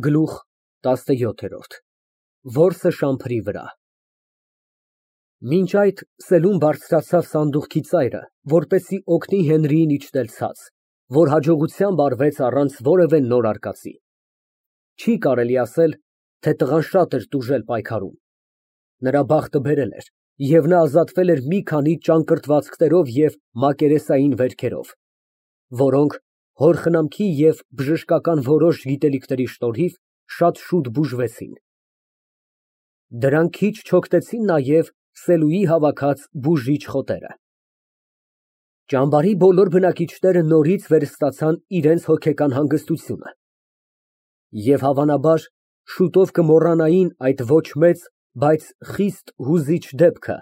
Գլուխ ՏԱՍՆՅՈԹԵՐՈՐԴ Որսը շամփրի վրա Մինչ այդ Սելուն բարձրացավ սանդուղքի ծայրը, որպեսզի օգնի Հենրիին իջնել ցած, որ հաջողությամբ արվեց առանց որևէ նոր արկածի։ Չի կարելի ասել, թե տղան շատ էր տուժել պայքարում։ Նրա բախտը բերել էր, և նա ազատվել էր մի քանի ճակռտվածքներով և մակերեսային վերքերով, որոնք հոր խնամքի և բժշկական որոշ գիտելիքների շնորհիվ շատ շուտ բուժվեցին։ Դրանք քիչ չօգնեցին նաև Սելուի հավաքած բուժիչ խոտերը։ Ճամբարի բոլոր բնակիչները նորից վերստացան իրենց հոգեկան հանգստությունը և, հավանաբար, շուտով կմոռանային այդ ոչ մեծ, բայց խիստ հուզիչ դեպքը,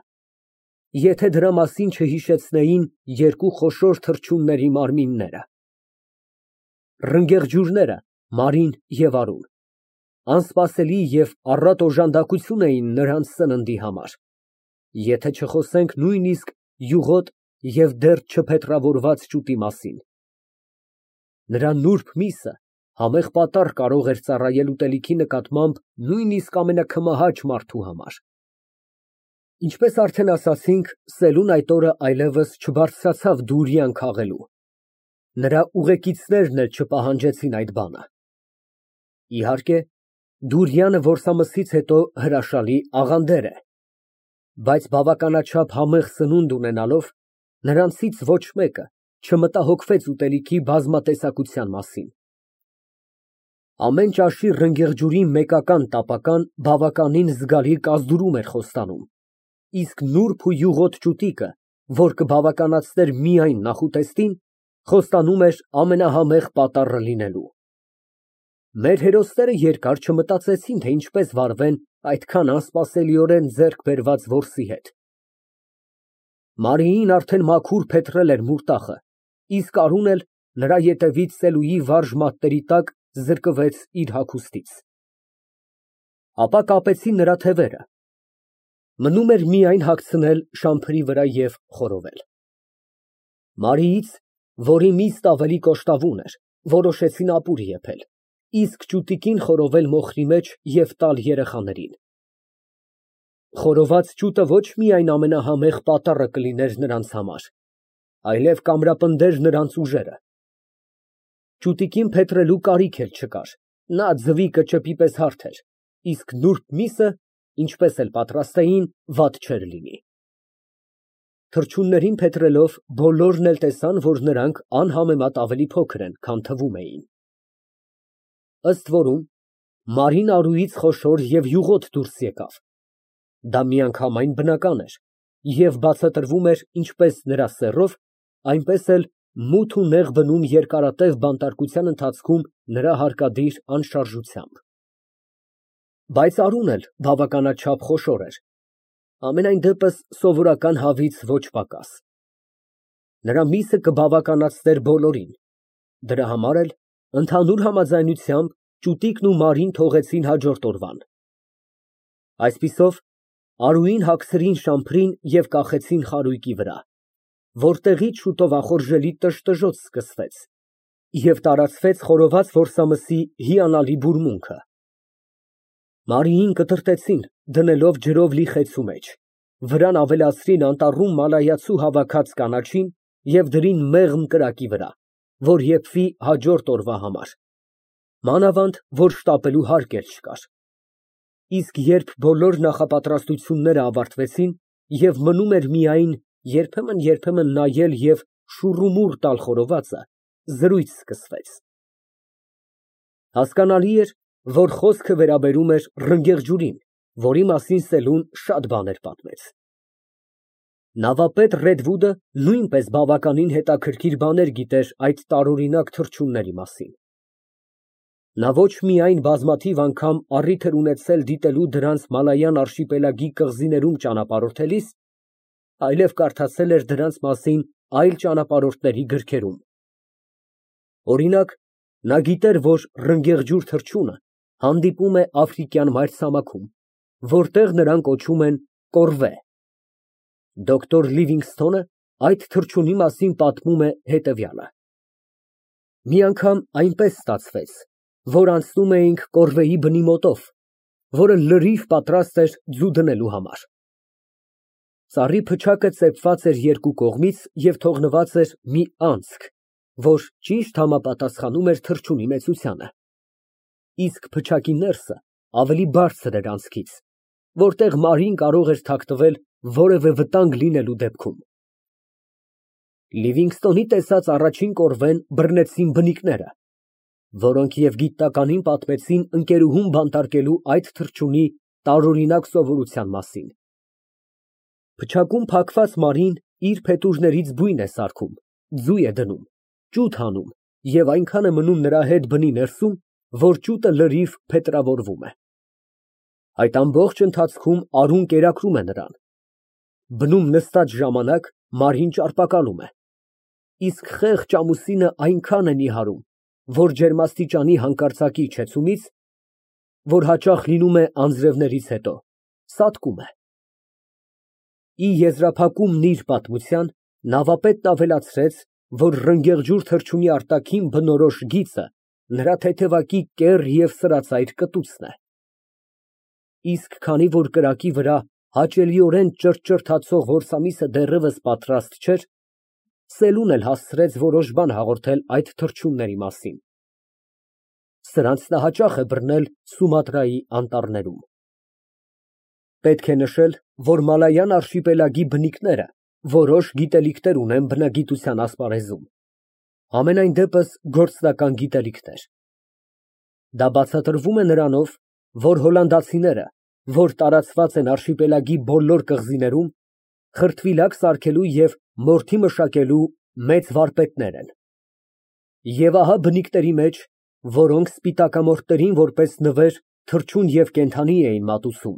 եթե դրա մասին չհիշեցնեին երկու խոշոր թռչունների մարմինները։ Ռնգեղջյուրները, Մարին և Արուն, անսպասելի և առատ օժանդակություն էին նրանց սննդի համար, եթե չխոսենք նույնիսկ յուղոտ և դեռ չփետրավորված ճուտի մասին։ Նրա նուրբ միսը համեղ պատառ կարող էր ծառայել ուտելիքի նկատմամբ նույնիսկ ամենաքմահաճ մարդու համար։ Ինչպես արդեն ասացինք, Սելուն այդ օրը այլևս չբարձրացավ դուրիան քաղելու։ Նրա ուղեկիցներն էլ չպահանջեցին այդ բանը։ Իհարկե, դուրյանը որսամսից հետո հրաշալի աղանդեր է, բայց բավականաչափ համեղ սնունդ ունենալով, նրանցից ոչ մեկը չմտահոգվեց ուտելիքի բազմատեսակության մասին։ Ամեն ճաշի ռնգեղջյուրի մեկական տապական բավականին զգալի կազդուրում էր խոստանում, իսկ նուրբ ու յուղոտ ճուտիկը, որ կբավականացներ միայն նախուտեստին, խոստանում էր ամենահամեղ պատառը լինելու։ Մեր հերոսները երկար չմտածեցին, թե ինչպես վարվեն այդքան անսպասելիորեն ձեռք բերված որսի հետ։ Մարիին արդեն մաքուր փետրել էր մուրտախը, իսկ Արուն էլ նրա ետևից Սելուի վարժ մատների տակ զրկվեց իր հագուստից։ Ապա կապեցին նրա թևերը։ Մնում էր միայն հագցնել շամփրի վրա և խորովել։ Մարիից, որի միստ ավելի կոշտավուն էր, որոշեցին ապուր եփել, իսկ ճուտիկին խորովել մոխրի մեջ և տալ երեխաներին։ Խորոված ճուտը ոչ միայն ամենահամեղ պատառը կլիներ նրանց համար, այլև կամրապնդեր նրանց ուժերը։ Ճուտիկին փետրելու կարիք էլ չկար, նա ձվի կճեպի պես հարթ էր, իսկ նուրբ միսը, ինչպես էլ պատրաստեին, վատ չէր լինի։ Թռչուններին փետրելով բոլորն էլ տեսան, որ նրանք անհամեմատ ավելի փոքր են, քան թվում էին։ Ըստ որում, Մարին Արուից խոշոր և յուղոտ դուրս եկավ։ Դա միանգամայն բնական էր և բացատրվում էր ինչպես նրա սեռով, այնպես էլ մութ ու նեղ բնում երկարատև բանտարկության ընթացքում նրա հարկադիր անշարժությամբ։ Բայց Արուն էլ բավականաչափ խոշոր էր, համենայն դեպս սովորական հավից ոչ պակաս։ Նրա միսը կբավականացներ բոլորին, դրա համար էլ, ընդհանուր համաձայնությամբ, ճուտիկն ու Մարին թողեցին հաջորդ օրվան։ Այսպիսով, Արուին հագցրին շամփրին և կախեցին խարույկի վրա, որտեղից շուտով ախորժելի տժտժոտ սկսվեց և տարածվեց խորոված որսամսի հիանալի բուրմունքը։ Մարիին կտրատեցին, դնելով ջրով լի խեցու մեջ, վրան ավելացրին անտառում մալայացու հավաքած կանաչին և դրին մեղմ կրակի վրա, որ եփվի հաջորդ օրվա համար, մանավանդ որ շտապելու հարկ էլ չկար։ Իսկ երբ բոլոր նախապատրաստությունները ավարտվեցին և մնում էր միայն երբեմն նայել և շուռումուռ տալ խորովածը, զրույց սկսվեց։ Հասկանալի էր, որ խոսքը վերաբերում էր ռնգեղջյուրին, որի մասին Սելուն շատ բաներ պատմեց։ Նավապետ Ռեդվուդը նույնպես բավականին հետաքրքիր բաներ գիտեր այդ տարօրինակ թռչունների մասին։ Նա ոչ միայն բազմաթիվ անգամ առիթ էր ունեցել դիտելու դրանց Մալայան արշիպելագի կղզիներում ճանապարհորդելիս, այլև կարդացել էր դրանց մասին այլ ճանապարհորդների գրքերում։ Օրինակ, նա գիտեր, որ ռնգեղջյուր թռչունը հանդիպում է Աֆրիկյան մայրցամաքում, որտեղ նրան կոչում են կորվե։ Դոկտոր Լիվինգսթոնը այդ թռչունի մասին պատմում է հետևյալը. Մի անգամ այնպես ստացվեց, որ անցնում էինք կորվեի բնի մոտով, որը լրիվ պատրաստ էր ձու դնելու համար։ Ծառի փչակը ծեփված էր երկու կողմից և թողնված էր մի անցք, որ ճիշտ համապատասխանում էր թռչունի մեծությանը, իսկ փչակի ներսը ավելի բարձր էր անցքից, որտեղ Մարին կարող էր թաքնվել որևէ վտանգ լինելու դեպքում։ Լիվինգստոնի տեսած առաջին կորվեն բռնեցին բնիկները, որոնք և գիտնականին պատմեցին ընկերուհուն բանտարկելու այդ թռչունի տարօրինակ սովորության մասին։ Փչակում փակված Մարին իր փետուրներից բույն է սարքում, ձու է դնում, ճուտ հանում և այնքան է մնում նրա հետ բնի ներսում, որ ճուտը լրիվ փետրավորվում է։ Այդ ամբողջ ընթացքում արուն կերակրում է նրան։ Բնում նստած ժամանակ Մարին ճարպակալում է, իսկ խեղճ ամուսինը այնքան է նիհարում, որ ջերմաստիճանի հանկարծակի իջեցումից, որ հաճախ լինում է անձրևներից հետո, սատկում է։ Ի եզրափակումն իր պատմության, նավապետն ավելացրեց, որ ռնգեղջյուր թռչունի արտաքին բնորոշ գիծը նրա թեթևակի կեռ և սրածայր կտուցն է։ Իսկ քանի որ կրակի վրա հաճելիորեն ճրթճրթացող որսամիսը դեռևս պատրաստ չէր, Սելուն էլ հասցրեց որոշ բան հաղորդել այդ թռչունների մասին։ Սրանց նա հաճախ է բռնել Սումատրայի անտառներում։ Պետք է նշել, որ Մալայան արշիպելագի բնիկները որոշ գիտելիքներ ունեն բնագիտության ասպարեզում, համենայն դեպս գործնական գիտելիքներ։ Դա բացատրվում է նրանով, որ հոլանդացիները, որ տարածված են արշիպելագի բոլոր կղզիներում, խրտվիլակ սարքելու և մորթի մշակելու մեծ վարպետներ են։ Եվ ահա բնիկների մեջ, որոնք սպիտակամորթներին որպես նվեր, թռչուն և կենդանի էին մատուցում,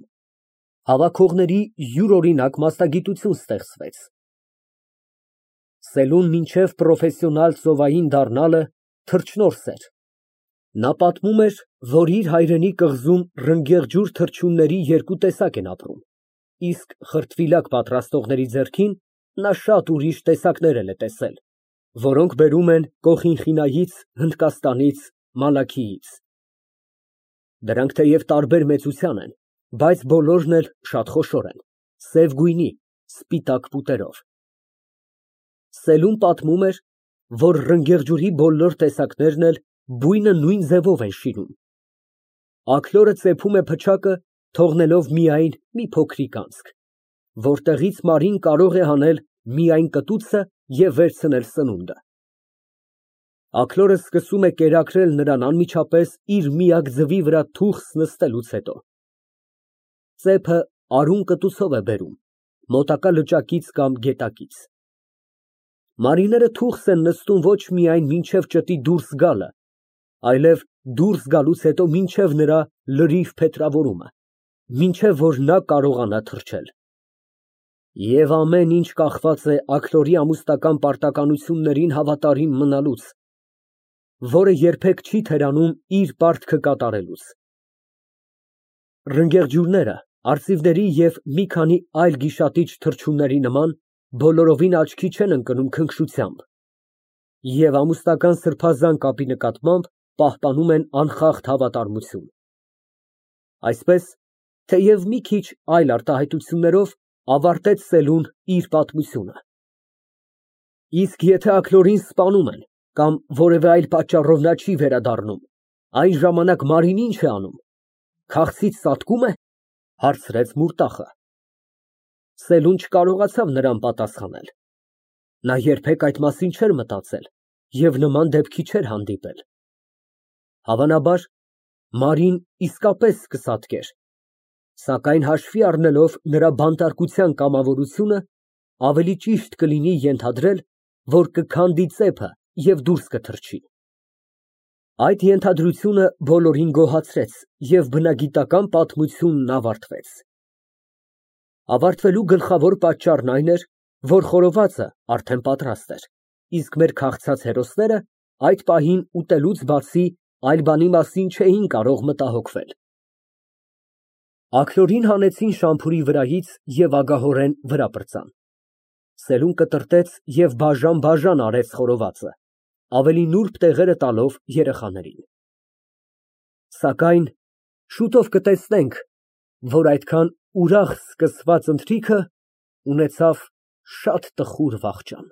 հավաքողների յուրօրինակ մասնագիտություն ստեղծվեց։ Սելուն մինչև պրոֆեսիոնալ ծովային դառնալը թռչնորս էր։ Նա պատմում էր, որ իր հայրենի կղզում ռնգեղջյուր թռչունների երկու տեսակ են ապրում, իսկ խրտվիլակ պատրաստողների ձեռքին նա շատ ուրիշ տեսակներ էլ է տեսել, որոնք բերում են Կոխինխինայից, Հնդկաստանից, Մալաքիից։ Դրանք թեև տարբեր մեծության են, բայց բոլորն էլ շատ խոշոր են, սև գույնի, սպիտակ պուտերով։ Սելուն պատմում էր, որ ռնգեղջյուրի բոլոր տեսակներն էլ բույնը նույն ձևով են շինում։ Աքլորը ծեփում է փչակը, թողնելով միայն մի փոքրիկ անցք, որտեղից Մարին կարող է հանել միայն կտուցը և վերցնել սնունդը։ Աքլորը սկսում է կերակրել նրան անմիջապես իր միակ ձվի վրա թուխս նստելուց հետո։ Ծեփը արուն կտուցով է բերում, մոտակա լճակից կամ գետակից։ Մարիները թուխս են նստում ոչ միայն մինչև ճտի դուրս գալը, այլև դուրս գալուց հետո մինչև նրա լրիվ փետրավորումը, մինչև որ նա կարողանա թռչել։ Եվ ամեն ինչ կախված է Աքլորի ամուսնական պարտականություններին հավատարիմ մնալուց, որը երբեք չի թերանում իր պարտքը կատարելուց։ Ռնգեղջյուրները, արծիվների և մի քանի այլ գիշատիչ թռչունների նման, բոլորովին աչքի չեն ընկնում քնքշությամբ և ամուսնական սրբազան կապի նկատմամբ պահպանում են անխախտ հավատարմություն։ Այսպես, թեև մի քիչ այլ արտահայտություններով, ավարտեց Սելուն իր պատմությունը։ Իսկ եթե Աքլորին սպանում են կամ որևէ այլ պատճառով նա չի վերադառնում, այն ժամանակ Մարին ի՞նչ է անում, քաղցից ծածկո՞ւմ է, հարցրեց Մուրտախը։ Սելուն չկարողացավ նրան պատասխանել։ Նա երբեք այդ մասին չէր մտածել և նման դեպքի չէր հանդիպել։ Հավանաբար, Մարին իսկապես կսատկեր, սակայն հաշվի առնելով նրա բանտարկության կամավորությունը, ավելի ճիշտ կլինի ենթադրել, որ կքանդի ծեփը և դուրս կթռչի։ Այդ ենթադրությունը բոլորին գոհացրեց և բնագիտական պատմությունն ավարտվեց։ Ավարտվելու գլխավոր պատճառն այն էր, որ խորովածը արդեն պատրաստ էր, իսկ մեր քաղցած հերոսները այդ պահին ուտելուց բացի այլ բանի մասին չէին կարող մտահոգվել։ Աքլորին հանեցին շամփուրի վրայից և ագահորեն վրա պրծան։ Սելուն կտրտեց և բաժան֊բաժան արեց խորովածը, ավելի նուրբ տեղերը տալով երեխաներին։ Սակայն շուտով կտեսնենք, որ այդքան ուրախ սկսված ընթրիքը ունեցավ շատ տխուր վախճան։